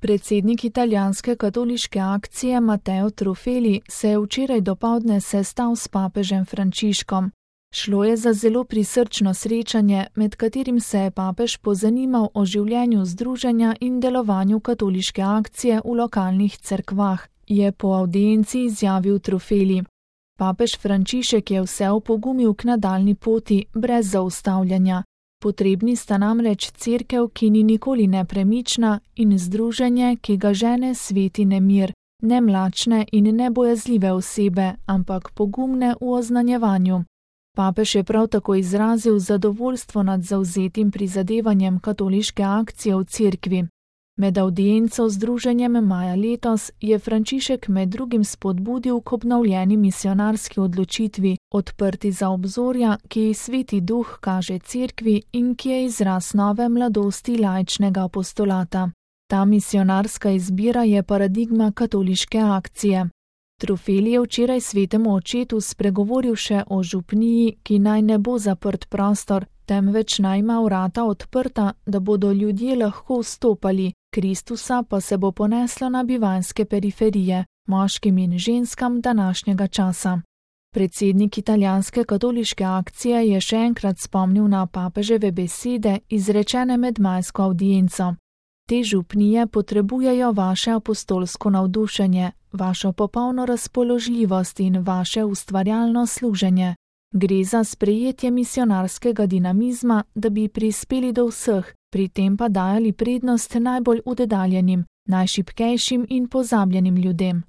Predsednik italijanske katoliške akcije Matteo Truffelli se je včeraj dopoldne sestal s papežem Frančiškom. Šlo je za zelo prisrčno srečanje, med katerim se je papež pozanimal o življenju združenja in delovanju katoliške akcije v lokalnih cerkvah, je po avdienci izjavil Truffelli. Papež Frančišek je vse opogumil k nadaljnji poti, brez zaustavljanja. Potrebni sta namreč cerkev, ki ni nikoli nepremična, in združenje, ki ga žene sveti nemir, ne mlačne in nebojazljive osebe, ampak pogumne v oznanjevanju. Papež je prav tako izrazil zadovoljstvo nad zavzetim prizadevanjem katoliške akcije v cerkvi. Med avdienco združenjem maja letos je Frančišek med drugim spodbudil k obnovljeni misionarski odločitvi, odprti za obzorja, ki ji Sveti Duh kaže cerkvi in ki je izraz nove mladosti laičnega apostolata. Ta misionarska izbira je paradigma katoliške akcije. Truffelli je včeraj svetemu očetu spregovoril še o župniji, ki naj ne bo zaprt prostor, temveč naj ima vrata odprta, da bodo ljudje lahko vstopali, Kristusa pa se bo poneslo na bivanjske periferije, moškim in ženskam današnjega časa. Predsednik italijanske katoliške akcije je še enkrat spomnil na papeževe besede, izrečene med majsko avdienco. Te župnije potrebujejo vaše apostolsko navdušenje, vašo popolno razpoložljivost in vaše ustvarjalno služenje. Gre za sprejetje misionarskega dinamizma, da bi prispeli do vseh, pri tem pa dajali prednost najbolj oddaljenim, najšibkejšim in pozabljenim ljudem.